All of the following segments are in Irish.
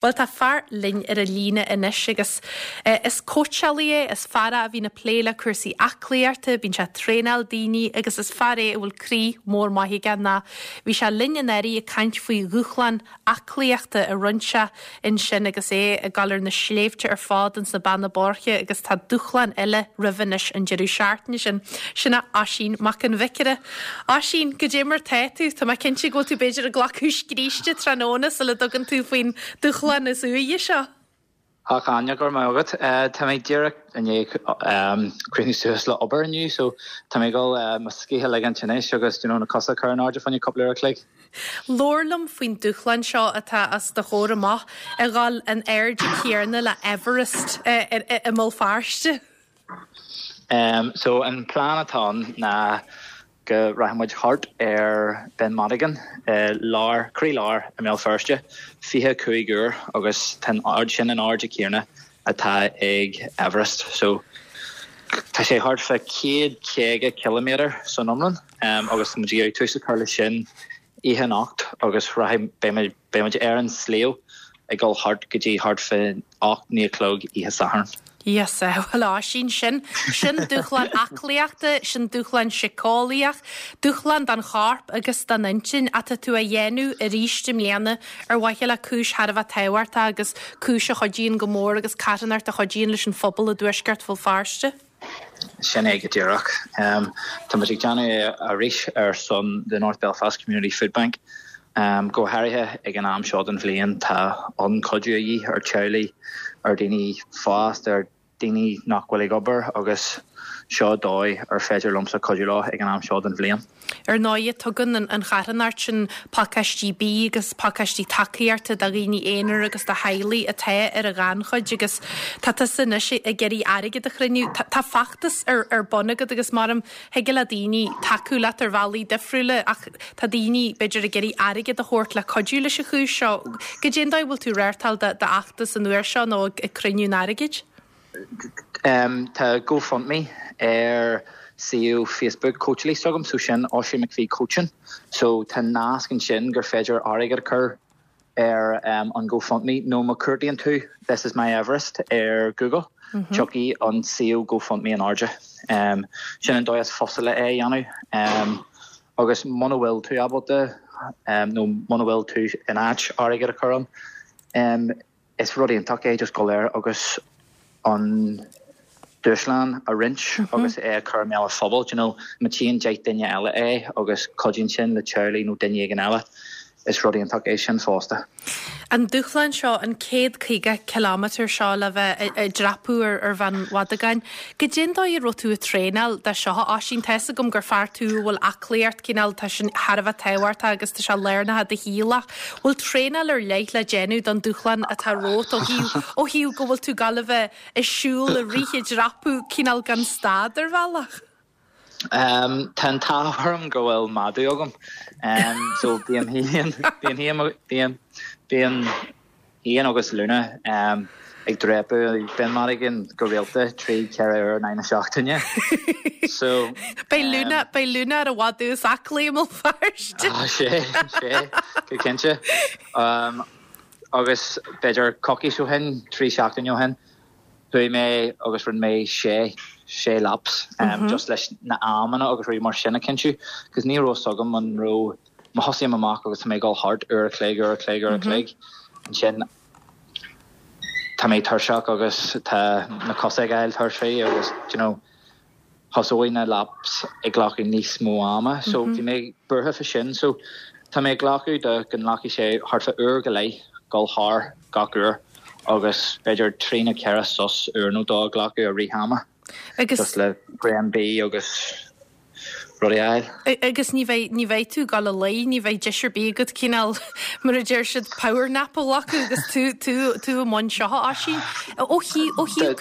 Bhuel, tá fear linn ar an líne anois agus is cóitseálaí é, is fear é a bhíonn ag plé le cúrsaí aclaíochta, bíonn sé ag traenáil daoine agus is fear é a bhfuil croí mór maith aige ná bhí sé linn anuraidh ag caint faoi dhúshlán aclaíochta a rinne sé ansin agus é ag dul ar na sléibhte ar fad ins na Beanna Boirche agus tá dúshlán eile roimhe anois an deireadh seachtaine sin. Sin é Oisín Mac an Bhiocaire. Oisín, goidé mar tá tú? Tá mé cinnte go bhfuil tú b'fhéidir ag glacadh scríste tráthnóna sula dtugann tú faoin dúshlán is uaighe seo. A Áine, go raibh maith agat. Tá mé díreach i ndiaidh críochnú suas le obair inniu so tá mé ag dul mo scíth a ligint anois agus you know na cosa a chur in airde fá choinne cúpla uair a chloig. Labhair liom faoin dúshlán seo atá os do chomhair amach, a dhul an airde céanna le Everest i mBéal Feirste. So an plean atá ann ná go rachaidh muid thart ar Ben Madigan i lár, croí lár i mBéal Feirste, 25 uair agus tá an ard sin an airde céanna atá ag Everest. So tá sé thart fá 150 ciliméadar san iomlán agus tá muid ag iarraidh tús a chur leis sin oíche anocht agus rachaidh, beidh muid, Beidh muid ar an sliabh ag dul thart go dtí thart fá 8, 9 a chlog oíche Sathairn. Íosa, bhuel Oisín, sin, sin dúshlán aclaíochta, sin dúshlán síceolaíoch, dúshlán don chorp agus don intinn atá tú a dhéanamh arís i mbliana ar mhaithe le cúis thar a bheith tábhachtach agus cúis a chuidíonn go mór agus carthanacht a chuidíonn leis an phobal i dtuaisceart Bhéal Feirste. Sin é go díreach. Tá muid ag déanamh é arís ar son the North Belfast Community Food Bank. Go háirithe ag an am seo den bhliain tá an-chuidiú a dhíth ar teaghlaigh, ar daoine fásta, ar daoine nach bhfuil ag obair agus seo dóigh ar féidir liomsa cuidiú leo ag an am seo den bhliain. Ar ndóighe, tugann an charthanacht sin pacáistí bídh agus pacáistí tacaíochta do dhaoine aonair agus do theaghlaigh atá ar an ghannchuid agus tá tusa anois ag iarraidh airgead a chruinniú. Tá feachtas ar bun agat agus maram thig le daoine tacú leat ar bhealaí difriúla ach tá daoine, b'fhéidir, ag iarraidh airgead a thabhairt le cuidiú leis an chúis seo. Goidé an dóigh a bhfuil tú ag reáchtáil d'fheachtas an uair seo nó ag cruinniú an airgid? Tá GoFundMe ar suíomh Facebook cóitseálaí s'agam, so sin Oisín McPhee Coaching. So tá nasc ansin gur féidir airgead a chur ar an GoFundMe nó má chuartaíonn tú This is my Everest ar Google, tiocfaidh an suíomh GoFundMe in airde. Sin an dóigh is fusa le é a dhéanamh. Agus muna bhfuil tú ábalta nó muna bhfuil tú in áit airgead a chur ann, Is rud iontach é just dul air agus an dúshlán a roinnt agus é a chur i mbéal an phobail. Do you know, má tchíonn 10 duine eile é agus cuidíonn sin le teaghlaigh nó duine éigin eile, is rud iontach é sin fosta. An dúshlán seo, an 150 kilometre seo le bheith ag dreapadh ar Bheann Mhadagáin, Goidé an dóigh a raibh tú ag traenáil do seo, a Oisín? Tá fhios agam gur fear tú a bhfuil aclaíocht, cineál, tá sin thar a bheith tábhachtach agus tá sé lárnach i do shaol ach bhfuil traenáil ar leith le déanamh don dúshlán atá romhat ó thaobh, ó thaobh go bhfuil tú ag gabháil a bheith ag siúl, ag rith, ag dreapadh, cineál gan stad ar bhealach? Tá an t-ádh orm go bhfuil madadh agam. So bím féin, bím féin, bím, bím féin agus Luna ag dreapadh Ben Madigan go rialta 3, 4 uair in aghaidh na seachtaine. So. Beidh Luna, beidh Luna ar an mhadadh is aclaí i mBéal Feirste. Ah, sé, sé, go cinnte. Agus b'fhéidir coicís ó shin, 3 seachtaine ó shin, Chuaigh mé agus rinne mé sé, sé laps just leis na amanna agus rudaí mar sin a chinntiú cos ní raibh fhios agam an raibh, má thosaím amach agus tá mé ag dul thart uair a chloig, uair a chloig, uair a chloig, ansin tá mé tuirseach agus tá na cosa ag fáil tuirseach agus do you know, thosóidh na laps ag glacadh níos mó ama so bhí mé buartha fá sin so tá mé ag glacadh do go nglacfaidh sé thart fá uair go leith dul thar gach uair agus b'fhéidir trí nó ceithre sos uair nó dó a ghlacadh i rith ama just le braon bídh agus rudaí a fháil. Agus ní bheidh, ní bheidh tú ag dul a luí, ní bheidh deis ar bith agat cineál, mar a deir siad, power nap a ghlacadh agus tú, tú, tú i mbun seo, a Oisín. Ó thaobh, ó thaobh,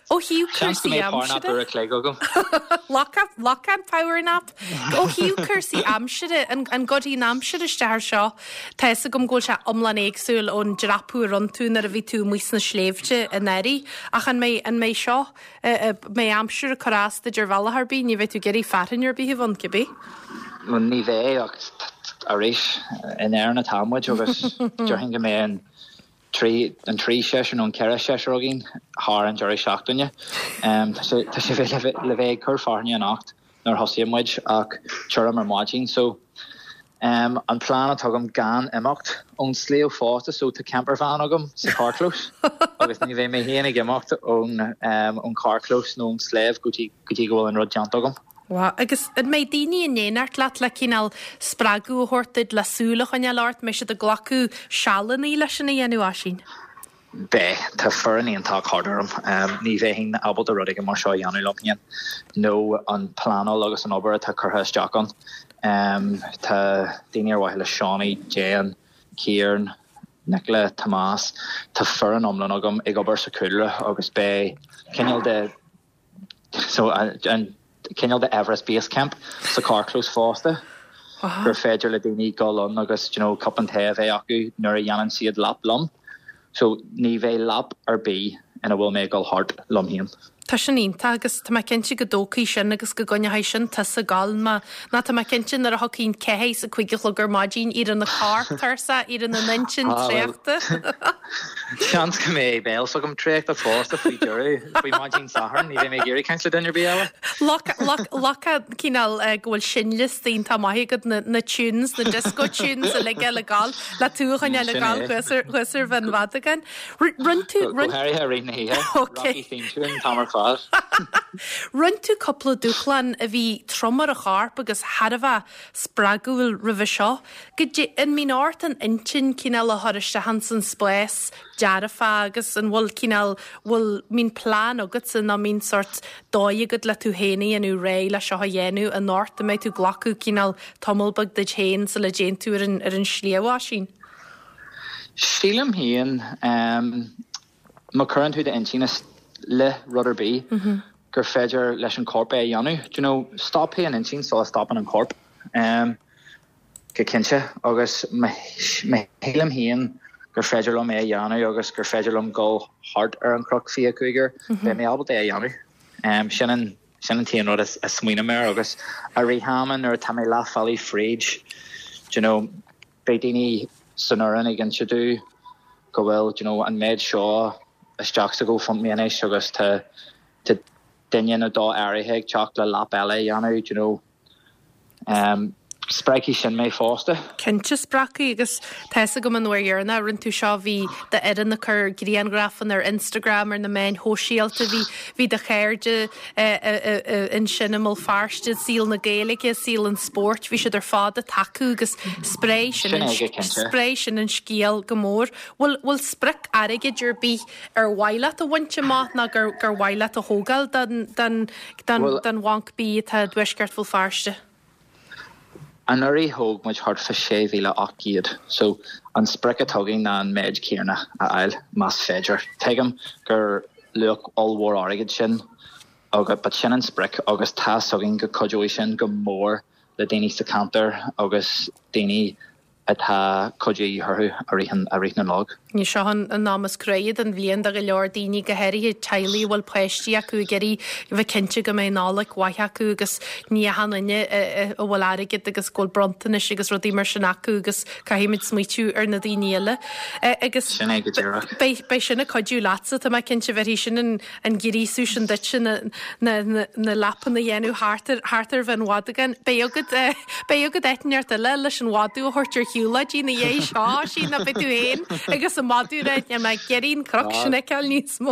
ó thaobh Seans go cúrsaí mbeidh power nap aimsire. uair a chloig agam. Lock up, lock an power nap. Ó thaobh cúrsaí aimsire, an, an gcuirfidh an aimsir isteach air seo? Tá fhios agam go bhfuil sé iomlán éagsúil ón dreapadh a rinne tú nuair a bhí tú amuigh sna sléibhte anuraidh, ach an mbeidh, an mbeidh seo, mbeidh aimsir ag cur as duit ar bhealach ar bith, ní bheidh tú ag iarraidh fearthainn ar bith a bheith ann, cibé. Bhuel, ní bheidh, ach arís, in Éirinn atá muid agus déarfainn go mbeidh an. trí, an trí seisear nó an 4 seisear againn thar an deireadh seachtaine. Tá sé, tá sé le bheith ag cur fearthainne anocht nuair a thosaíonn muid ach tirim ar maidin so an plean atá agam gan imeacht ón sliabh fosta so tá campervan agam sa carrchlós agus ní bheidh mé féin ag imeacht ón ón carrchlós nó ón sliabh go dtí go dtí go bhfuil an rud déanta agam. Wow. Agus an mbeidh daoine in éineacht leat le cineál spreagadh a thabhairt duit, le súil a choinneáil ort, mbeidh siad ag glacadh sealanna leis sin a dhéanamh, Oisín? Beidh. Tá foireann iontach thart orm. Ní bheinn ábalta rud éigin mar seo a dhéanamh liom féin, nó an pleanáil agus an obair atá curtha isteach ann. Tá daoine ar mhaithe le Seánie, Jane, Ciaran, Nicola, Tomás, tá foireann iomlán agam ag obair sa chúlra agus beidh cineál de So an cineál de Everest Base Camp sa carrchlós fosta gur féidir le daoine dul ann agus you know cupán tae a bheith acu nuair a dhéanann siad lap liom. So ní bheidh lap ar bith ina bhfuil mé ag dul thart liom féin. Tá sin iontach agus tá mé cinnte go dtógfaidh sin agus go gcoinneoidh sin tusa ag gabháil má ná tá mé cinnte nuair a thiocfaidh an ceathair is a cúig a chlog ar maidin éireoidh an corp tuirseach éireoidh an intinn traochta. Seans go mbeidh béal s'agam traochta fosta faoi dheireadh, faoi maidin Sathairn, ní bheidh mé ag iarraidh caint le duine ar bith eile. Loiceadh cineál go bhfuil seinnliosta iontach maith agat, na tunes, na disco tunes uilig le gabháil, le tú a choinneáil ag gabháil thuas ar Bhinn Mhadagáin. Rinne tú. Go háirithe i rith na hoíche, Rocky theme tune an t-am ar fad. Rinne tú cúpla dúshlán a bhí trom ar an chorp agus thar a bheith spreagúil roimhe seo. Goidé, an mbíonn ort an intinn cineál a chur isteach ins an spás dearfach agus an bhfuil cineál, bhfuil, mbíonn plean agatsa nó mbíonn sórt dóigh agat le tú féin a dhéanamh réidh le seo a dhéanamh anocht, an mbeidh tú ag glacadh cineál tamall beag duit féin sula dtéann tú ar an, ar an sliabh, Oisín? Sílim féin, má chuireann tú d'intinn i leith rud ar bith, gur féidir leis an chorp é a dhéanamh. Do you know, stopfaidh an intinn sula stopann an corp. Go cinnte. Agus má shílim féin gur féidir liom é a dhéanamh agus gur féidir liom dul thart ar an chnoc 25 uair, beidh mé ábalta é a dhéanamh. Sin an sin an t-aon rud a smaoiním air agus i rith ama nuair atá mé leath bealaigh fríd, do you know, beidh daoine san fhoireann ag inse domh go bhfuil, do you know, an méid seo isteach sa GoFundMe anois agus tá tá duine nó dó áirithe ag teacht le lap eile a dhéanamh, do you know. Um, spreagfaidh sin mé fosta. Cinnte spreagfaidh agus tá fhios agam an uair dheireanach a rinne tú seo bhí d'fhoireann ag cur grianghrafanna ar Instagram ar na meáin shóisialta, bhí bhí do chairde ansin i mBéal Feirste, saol na Gaeilge, saol an spóirt, bhí siad ar fad ag tacú agus spreag sin an spreag sin an scéal go mór. Bhfuil bhfuil sprioc airgid ar bith ar mhaith leat a bhaint amach nó gur gur mhaith leat a thógáil don don don don Bhanc Bídh atá i dtuaisceart Bhéal Feirste? Anuraidh thóg muid thart fá 6,800 so an sprioc atá againn ná an méid céanna a fháil más féidir. Tuigim gur luach ollmhór airgid sin agus but sin an sprioc agus tá's againn go cuideoidh sin go mór le daoine sa cheantar agus daoine atá cuidiú de dhíth orthu i rith na Nollag. Seo an am is cruaidhe den bhliain do go leor daoine, go háirithe teaghlaigh a bhfuil páistí acu ag iarraidh a bheith cinnte go mbeidh Nollaig mhaith acu agus ní achan duine a bhfuil airgead agus go bhfuil bronntanais agus rudaí mar sin acu agus caithfimid smaoitiú ar na daoine eile. Agus Sin é go díreach. beidh beidh sin ag cuidiú leatsa, tá mé cinnte, bhéarfaidh sin an an gríosú sin duitse na na na na lapanna a dhéanamh thart ar thart ar Bhinn Mhadagáin. Beidh agat beidh agat áit inteacht eile leis an mhadadh a thabhairt ar shiúlóidí ina dhiaidh seo, Oisín, nó beidh tú féin agus an madadh ag rá, níl mé ag iarraidh an cnoc sin a fheiceáil níos mó.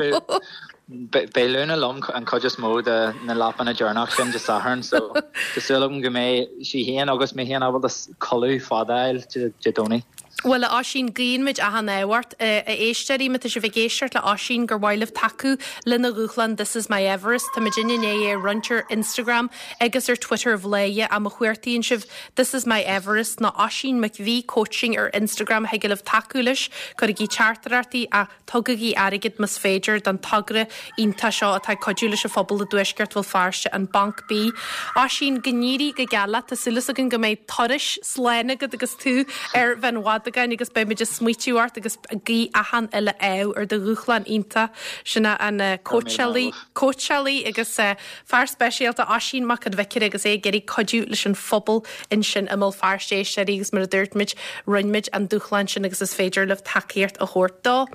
Beidh Luna liom an chuid is mó de na lapanna deireanach sin Dé Sathairn so tá súil agam go mbeidh sí féin agus mé féin ábalta codladh fada a fháil Dé Domhnaigh. Bhuel, a Oisín, guíonn muid achan ádh ort. A éisteoirí, má tá sibh ag éisteacht le Oisín, gur mhaith libh tacú lena dhúshlán This is my Everest, tá muid i ndiaidh é a roinnt ar Instagram agus ar Twitter Bhladhaire ach má chuartaíonn sibh This is my Everest nó Oisín McVie Coaching ar Instagram thig libh tacú leis, cuirigí teachtaireachtaí ach Tugaigí airgead más féidir don togra iontach seo atá ag cuidiú leis an phobal i dtuaisceart Bhéal Feirste, an Banc Bídh. Oisín, go n-éirí go geal leat. Tá súil againn go mbeidh turais slán agat agus tú ar Bhinn Mhadagáin agus beidh muid ag smaoitiú ort agus ag guí achan uile ádh ar do dhúshlán iontach. Sin é an cóitseálaí, cóitseálaí agus fear speisialta Oisín Mac an Bhiocaire agus é ag iarraidh cuidiú leis an phobal ansin i mBéal Feirste, a éisteoirí, agus mar a dúirt muid, roinn muid an dúshlán sin agus is féidir libh tacaíocht a thabhairt dó.